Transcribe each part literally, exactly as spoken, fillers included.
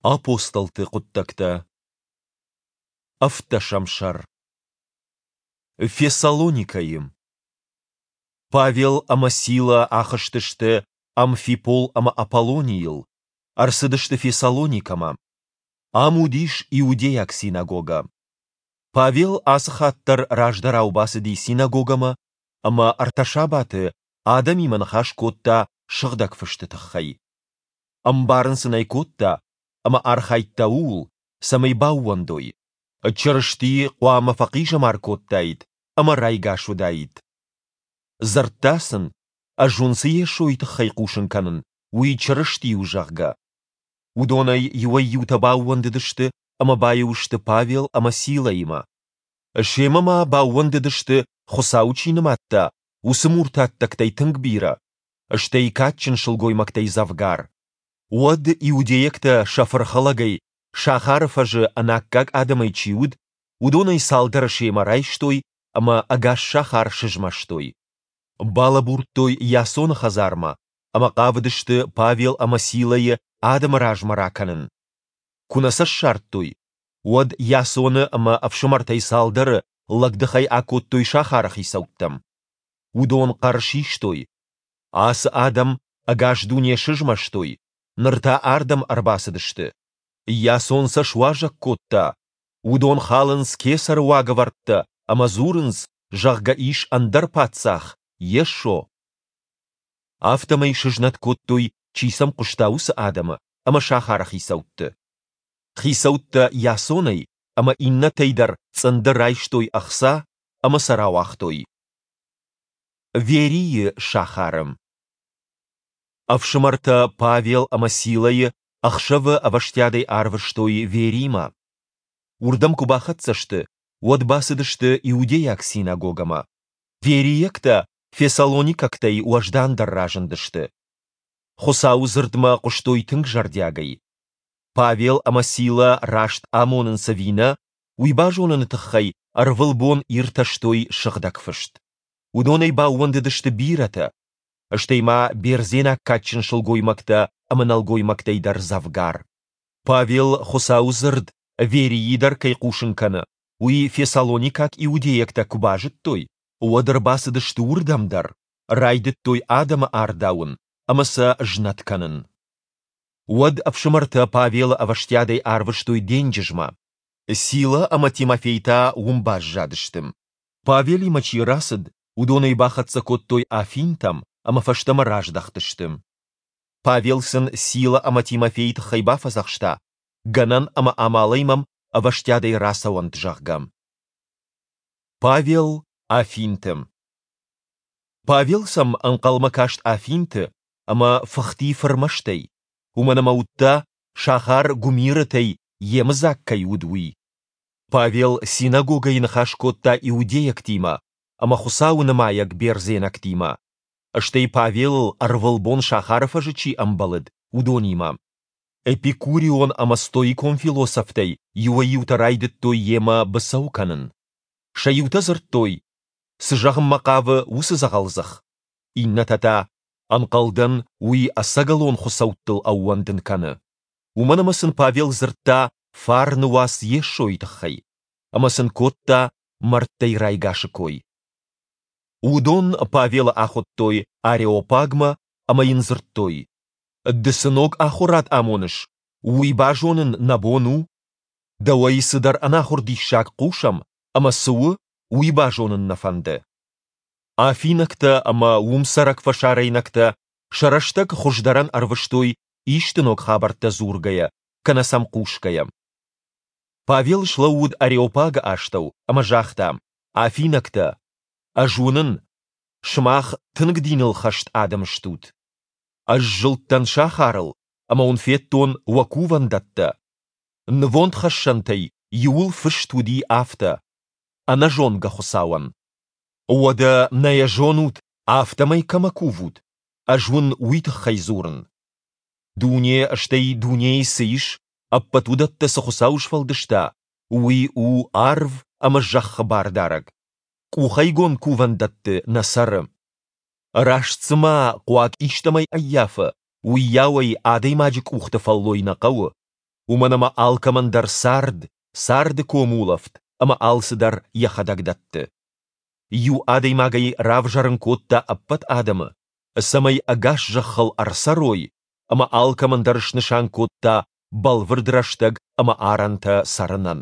Апостолты хъуыддӕгтӕ, ӕвддӕсӕм сӕр. Фессалоникӕйы. Павел ӕмӕ Сила ахызтысты Амфипол ӕмӕ Аполлонийыл, ӕрцыдысты Фессалоникӕмӕ. Ам уыдис иудейаг синагогӕ. Павел ацы хатт дӕр раздӕрау бацыди синагогӕмӕ ӕмӕ ӕртӕ сабаты адӕмимӕ ныхас кодта Сыгъдӕг Фысты тыххӕй. Ӕмбарын сын ӕй кодта ӕмӕ архайдта ууыл, цӕмӕй баууӕндой, Чырысти хъуамӕ фӕхъизӕмар кодтаид ӕмӕ райгас уыдаид. Дзырдта сын, ӕз уын цы Йесойы тыххӕй хъусын кӕнын, уый Чырысти у, зӕгъгӕ. Уыдонӕй иуӕй-иутӕ баууӕндыдысты ӕмӕ баиу сты Павел ӕмӕ Силӕимӕ. Семӕ ма баууӕндыдысты, Хуыцауы чи нымадта, уыцы муртаттӕгтӕй тынг бирӕ, стӕй кадджын сылгоймӕгтӕй дзӕвгар. Уӕд иудейӕгтӕ сӕ фырхӕлӕгӕй сахары фӕзы ӕнаккаг адӕмӕй чи уыд, уыдонӕй цалдӕры семӕ райстой ӕмӕ ӕгас сахар сызмӕстой. Балӕбурдтой Иасоны хӕдзармӕ ӕмӕ хъавыдысты Павел ӕмӕ Силӕйы адӕмы размӕ ракӕнын. Куы нӕ сӕ ссардтой, уӕд Иасоны ӕмӕ ӕфсымӕртӕй цалдӕры лӕгдыхӕй акодтой сахары хицӕуттӕм. Уыдон хъӕр систой: Ацы адӕм ӕгас дуне сызмӕстой, ныр та ардӕм ӕрбацыдысты. Иасон сӕ суазӕг кодта. Уыдон халынц кесӕры уагӕвӕрдтӕ ӕмӕ дзурынц, зӕгъгӕ, ис ӕндӕр паддзах, Йесо. Афтӕмӕй сызнӕт кодтой, чи сӕм хъуыста, уыцы адӕмы ӕмӕ сахары хицӕутты. Хицӕуттӕ Иасонӕй ӕмӕ иннӕтӕй дӕр цъынды райстой ӕхца ӕмӕ сӕ рауагътой. Верийы сахары. Ӕфсымӕртӕ Павел ӕмӕ Силӕйы ӕхсӕвы ӕвӕстиатӕй арвыстой Веримӕ. Уырдӕм куы бахӕццӕ сты, уӕд бацыдысты иудейаг синагогӕмӕ. Верийӕгтӕ фессалоникӕгтӕй уӕздандӕр разындысты. Хуыцауы дзырдмӕ хъуыстой тынг зӕрдиагӕй. Павел ӕмӕ Силӕ раст амонынц ӕви нӕ, уый базоныны тыххӕй ӕрвылбон иртӕстой Сыгъдӕг Фыст. Уыдонӕй баууӕндыдысты бирӕтӕ, стӕй ма бердзенаг кадджын сылгоймӕгтӕ ӕмӕ нӕлгоймӕгтӕй дӕр дзӕвгар. Павел Хуыцауы дзырд Верийы дӕр кӕй хъусын кӕны, уый фессалоникаг иудейӕгтӕ куы базыдтой, уӕд ӕрбацыдысты уырдӕм дӕр, райдыдтой адӕмы ардауын ӕмӕ сӕ знӕт кӕнын. Уӕд ӕфсымӕртӕ Павелы ӕвӕстиатӕй арвыстой денджызмӕ. Сила ӕмӕ Тимофей та уым баззадысты. Павелимӕ чи рацыд, уыдон ӕй бахӕццӕ кодтой Афинтӕм ӕмӕ фӕстӕмӕ раздӕхтысты. Павел сын Сила ӕмӕ Тимофейы тыххӕй бафӕдзӕхста, гӕнӕн ӕмӕ амалӕй мӕм ӕвӕстиатӕй рацӕуӕнт, зӕгъгӕ. Павел Афинты. Павел сӕм ӕнхъӕлмӕ каст Афинты ӕмӕ фыхти фырмӕстӕй, уымӕн ӕмӕ уыдта, сахар гуымирытӕй йемыдзаг кӕй уыд, уый. Павел синагогӕйы ныхас кодта иудейӕгтимӕ ӕмӕ Хуыцауы нымайӕг бердзенӕгтимӕ, стӕй Павелыл ӕрвылбон сахары фӕзы чи ӕмбӕлыд, уыдонимӕ. Эпикурион ӕмӕ стоикон философтӕй иуӕй-иутӕ райдыдтой йемӕ быцӕу кӕнын. Сӕ иутӕ дзырдтой, цы зӕгъынмӕ хъавы уыцы дзӕгъӕлдзых, иннӕтӕ та, ӕнхъӕлдӕн, уый ӕцӕгӕлон хуыцӕуттыл ӕууӕндын кӕны. Уымӕн ӕмӕ сын Павел дзырдта фарны уац Йесойы тыххӕй, ӕмӕ сын кодта мӕрдтӕй райгасы кой. Уыдон Павелы ахуыдтой Ареопагмӕ ӕмӕ йын дзырдтой: Ды цы ног ахуырад амоныс, уый базонын нӕ бон у? Дӕуӕй цыдӕр ӕнахуыр диссаг хъусӕм, ӕмӕ цы у, уый базонын нӕ фӕнды. Афинӕгтӕ ӕмӕ уым цӕрӕг фӕсарӕйнӕгтӕ сӕ рӕстӕг хуыздӕрӕн ӕрвыстой исты ног хабӕрттӕ дзургӕйӕ кӕнӕ сӕм хъусгӕйӕ. Павел слӕууыд Ареопагы астӕу ӕмӕ загъта: Афинӕгтӕ, ӕз уынын, сымах тынг диныл хӕст адӕм стут. Ӕз зылдтӕн сахарыл ӕмӕ уын федтон уӕ кувӕндӕттӕ. Нывондхӕссӕнтӕй иуыл фыст уыди афтӕ: Ӕнӕзонгӕ Хуыцауӕн. Уӕдӕ нӕ йӕ зонут, афтӕмӕй кӕмӕ кувут, ӕз уын уый тыххӕй дзурын. Дуне, стӕй дунейы цы ис, ӕппӕт уыдӕттӕ цы Хуыцау сфӕлдыста, уый у арв ӕмӕ зӕххы бардарӕг. Къухӕйгонд кувӕндӕтты нӕ цӕры. Раст цыма хъуаг истӕмӕй ӕййафы, уыйау ӕй адӕймаджы къухты фӕллой нӕ хъӕуы, Уымӕн ӕмӕ алкӕмӕн дӕр цард, царды комулӕфт ӕмӕ алцыдӕр йӕхӕдӕг дӕтты. Иу адӕймагӕй равзӕрын кодта ӕппӕт адӕмы, цӕмӕй ӕгас зӕххыл ӕрцӕрой, ӕмӕ алкӕмӕн дӕр снысан кодта бӕлвырд рӕстӕг ӕмӕ арӕнтӕ цӕрынӕн.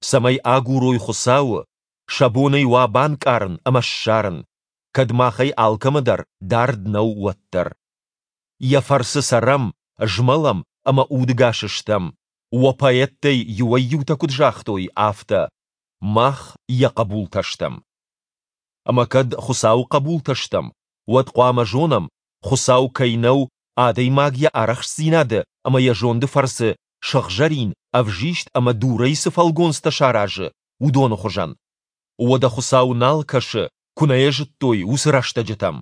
Цӕмӕй агурой Хуыцауы, сӕ бон ӕй уа банкъарын ӕмӕ ссарын, кӕд махӕй алкӕмӕ дӕр дард нӕу, уӕддӕр. Йӕ фӕрцы цӕрӕм, змӕлӕм ӕмӕ удыгас стӕм, уӕ поэттӕй иуӕй-иутӕ куыд загътой, афтӕ, Мах йӕ хъӕбултӕ стӕм. Ӕмӕ кӕд Хуыцауы хъӕбултӕ стӕм, уӕд хъуамӕ зонӕм, Хуыцау кӕй нӕу, адӕймаг йӕ арӕхстдзинады ӕмӕ йӕ зонды фӕрцы сыгъзӕрин, ӕвзист ӕмӕ дурӕй цы фӕлгонцтӕ саразы, уыдоны хуызӕн. Уӕдӕ Хуыцау нал кӕсы, куы нӕ йӕ зыдтой, уыцы рӕстӕджытӕм.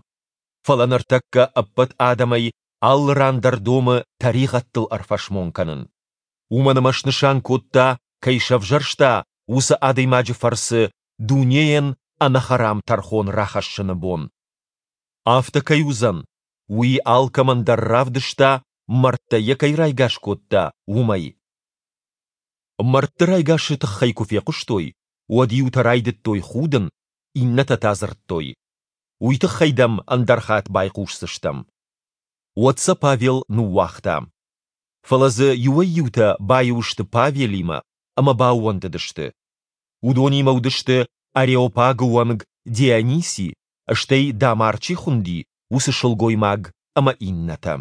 Фӕлӕ ныртӕккӕ ӕппӕт адӕмӕй алы ран дӕр домы тӕригъӕдтыл ӕрфӕсмон кӕнын. Уымӕн ӕмӕ снысан кодта, кӕй сӕвзӕрста, уыцы адӕймаджы фӕрцы дунейӕн ӕнӕхӕрам тӕрхон рахӕссыны бон. Афтӕ кӕй уыдзӕн, уый алкӕмӕн дӕр равдыста, мӕрдтӕй йӕ кӕй райгас кодта, уымӕй. Мӕрдты райгасы тыххӕй куы фехъуыстой, уӕд иутӕ райдыдтой худын, иннӕтӕ та дзырдтой: Уый тыххӕй дӕм ӕндӕр хатт байхъусдзыстӕм. Уӕд сӕ Павел ныууагъта. Фӕлӕ дзы иуӕй-иутӕ баиу сты Павелимӕ ӕмӕ баууӕндыдысты. Уыдонимӕ уыдысты Ареопагы уӕнг Диониси, стӕй Дамар чи хуынди, уыцы сылгоймаг ӕмӕ иннӕтӕ.